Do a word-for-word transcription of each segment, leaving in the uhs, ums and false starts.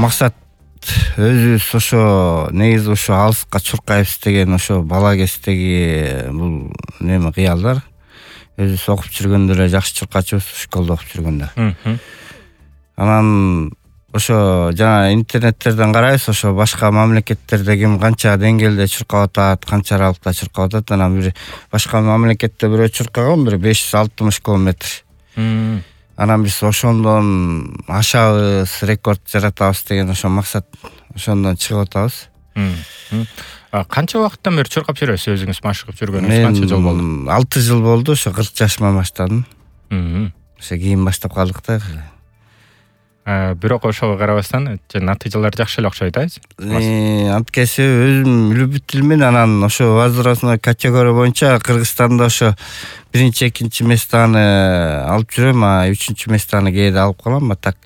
максат өзүбүз ошо негизи ошо алыска чуркайбыз деген ошо бала кездеги бул неме кыялдар. Өзүбүз окуп жүргөндө эле жакшы чуркачубуз, школдо окуп жүргөндө. Анан ошо жана интернеттерден карайбыз, ошо башка мамлекеттерде ким канча деңгээлде чуркап атат, канча аралыкта чуркап атат. Анан бир башка мамлекетте бирөө чуркаган бир беш жүз алтымыш километр. Анан биз ошондон ашабыз, рекорд жаратабыз деген ошо максат, ошондон чыгып атабыз. Канча убакыттан бери чуркап жүрөсүз? Өзүңүз машыгып жүргөнүңүз канча жыл болду? алты жыл болду, ошо кырк жашыма баштадым. Ошо кийин баштап калдык да. Бирок ошого карабастан натыйжалар жакшы эле окшойт, э? Анткеси өзүм любителмин, анан ошо возрастной категория боюнча Кыргызстанда ошо биринчи, экинчи местаны алып жүрөм, а үчүнчү местаны кээде алып калам. А так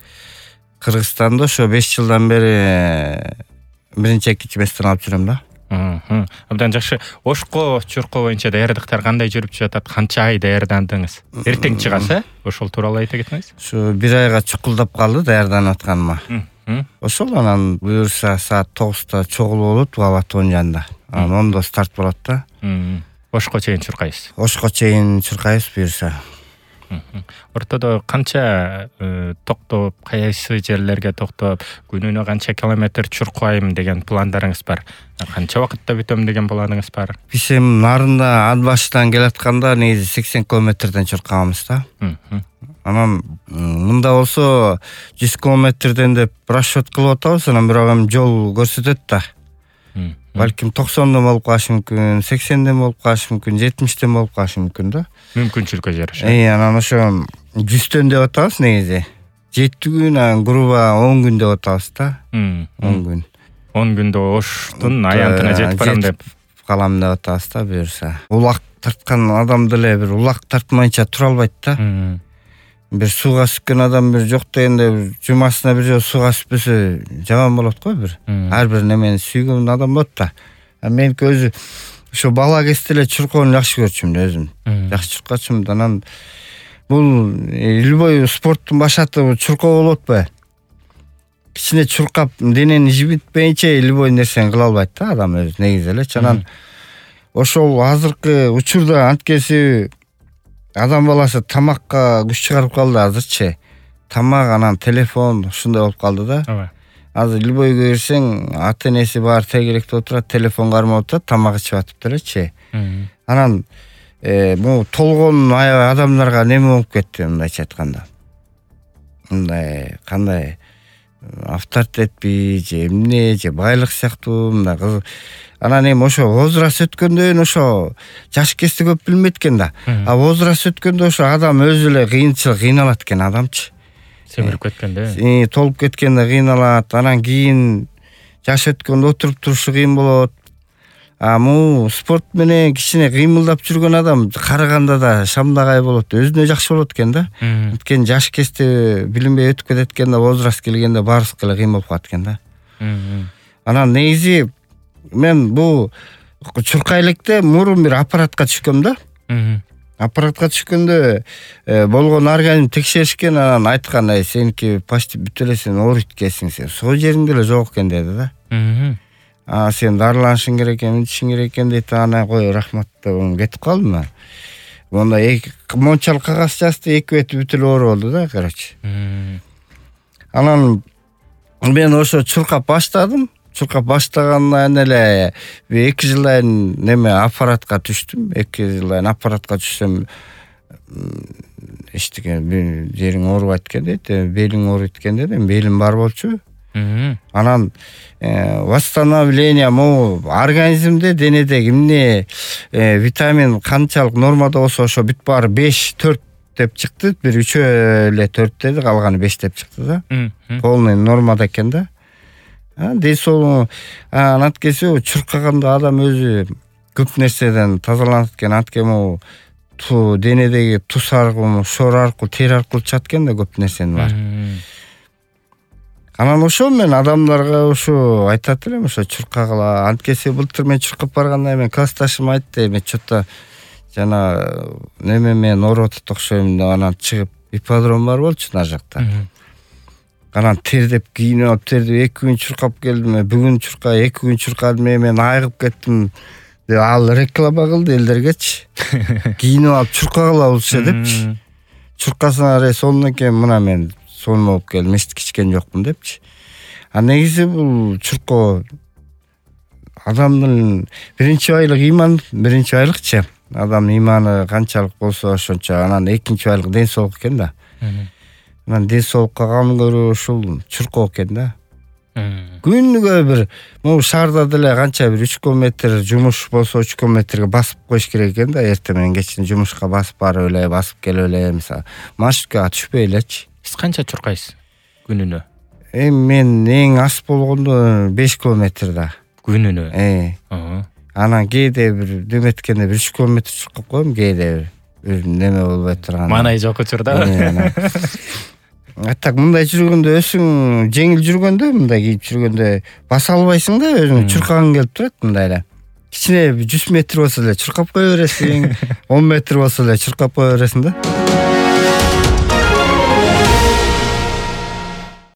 Кыргызстанда ошо беш жылдан бери биринчи, экинчи местаны алып жүрөм да. Абдан жакшы. Ошко чуркоо боюнча даярдыктар кандай жүрүп жатат? Канча ай даярдандыңыз? Эртең чыгасы, э? Ошол тууралуу айта кетсеңиз. Ушу бир айга чукулдап калды даярданып атканыма. Ошол анан буюрса саат тогузда чогулуу болот Алатоонун жанында. Анан ондо старт болот да. Ошко чейин чуркайсыз. Ошко чейин чуркайбыз буюрса. Ортодо канча токтоп, кайсы жерлерге токтоп, күнүнө канча километр чуркайм деген пландарыңыз бар? Канча убакытта бүтөм деген планыңыз бар? Биз эми нарында ат башынан келатканда негизи сексен километрден чуркабыз да. Анан мында болсо жүз километрден деп расчет кылып атабыз, анан бирок эми жол көрсөтөт да. Балким токсондон болуп калышы мүмкүн, сексенден болуп калышы мүмкүн, жетимиштен болуп калышы мүмкүн да. Мүмкүнчүлүккө жараша. Э, анан ошо жүздөн деп атабыз негизи. жети күн, анан грубо он күн деп атабыз да. он күн. он күндө Оштун аянтына жетип барам деп калам деп атабыз да буюрса. Улак тарткан адам деле бир улак тартмайынча тура албайт да. Бир сууга сүккөн адам бир жок дегенде бир жумасына бир жолу сууга сүппөсө жаман болот го бир. Ар бир немени сүйгөн адам болот да. Меники өзү ошо бала кезде эле чуркоону жакшы көрчүмүн өзүм. Жакшы чуркачумун. Анан бул любой спорттун башаты чуркоо болуп атпайбы? Кичине чуркап денени жибитпейинче любой нерсени кыла албайт да адам өзү негизи элечи. Анан ошол азыркы учурда анткеси адам баласы тамакка күч чыгарып калды азырчы. Тамак, анан телефон ушундай болуп калды да. Азыр любойго кирсең, ата энеси баары тегеректе отурат, телефон кармап атат, тамак ичип атып делечи. Анан бул толгон аябай адамдарга неме болуп кетти мындайча айтканда. Мындай кандай авторитетпи же эмне же байлык сыяктуу мындай кыз. Анан эми ошо возраст өткөндөн ошо жаш кезде көп билмейт экен да. А возраст өткөндө ошо адам өзү эле кыйынчылык кыйналат экен адамчы. Семирип кеткенде. Э, толуп кеткенде кыйналат. Анан кийин жаш өткөндө отуруп турушу кыйын болот. А му спорт менен кичине кыймылдап жүргөн адам караганда да шамдагай болот, өзүнө жакшы болот экен да. Анткени жаш кезде билинбей өтүп кетет экен да, возраст келгенде баарыбызга эле кыйын болуп калат экен да. Анан негизи мен бул чуркай электе мурун бир аппаратка түшкөм да. Аппаратка түшкөндө болгон организм текшеришкен, анан айткан, ай сеники почти бүт эле сен ооруйт экенсиң, сен сол жериңде эле жок экен деди да. А сен дарыланышың керек экен, мынтишиң керек экен дейт. Ана кой рахмат деп кетип калдым. Монда эки мончалык кагаз жазды, эки бети бүт эле оору болду да, короче. Анан мен ошо чуркап баштадым. Чуркап баштагандан эле эки жылдан неме аппаратка түштүм. эки жылдан аппаратка түшсөм эчтеке жериң оорубайт экен дейт, белиң ооруйт экен деди. Белим бар болчу. Анан восстановление могу организмде, денеде эмне витамин канчалык нормада болсо ошо бүт баары беш төрт деп чыкты. Бир үчөө эле төрт деди, калганы беш деп чыкты да. Полный нормада экен да. Дей сол анткеси чуркаганда адам өзү көп нерседен тазаланат экен. Анткени ту денедеги туз аркылуу, шор аркылуу, тери аркылуу чыгат экен да көп нерсенин бар. Анан ошо мен адамдарга ошо айтат элем, ошо чуркагыла. Анткеси былтыр мен чуркап барганда мен классташым айтты, мен чото жана неме мен оорутат окшойм деп, анан чыгып ипподром бар болчу нар жакта. анан тердеп кийинип алып тердеп эки күн чуркап келдим. Бүгүн чурка, эки күн чуркадым, мен айыгып кеттим деп ал реклама кылды элдергечи. Кийинип алып чуркагыла депчи. Чуркасына аре сонун экен, мына мен сонун болуп келдим, эч кичкен жокмун депчи. А негизи бул чуркоо адамдын биринчи айлык ыйман, биринчи айлыкчы. Адамдын ыйманы канчалык болсо ошончо. Анан экинчи айлык ден соолук экен да. Анан ден соолукка кам көрүү ушул чуркоо экен да. Күнүгө бир могу шаарда деле канча бир үч километр жумуш болсо үч километрге басып коюш керек экен да. Эртең менен кечин жумушка басып барып эле, басып келип эле, мисалы, маршруткага түшпөй элечи. Сиз канча чуркайсыз күнүнө? Эми мен эң аз болгондо беш километр да. Күнүнө? Э. Анан кээде бир деметкенде бир үч километр чуркап коем, кээде бир неме болбой турган. Маанай жок учурда. А так мындай жүргөндө өзүң жеңил жүргөндө, мындай кийип жүргөндө баса албайсың да, өзүң чуркагың келип турат мындай эле. Кичине жүз метр болсо эле чуркап кое бересиң, он метр болсо эле чуркап кое бересиң да.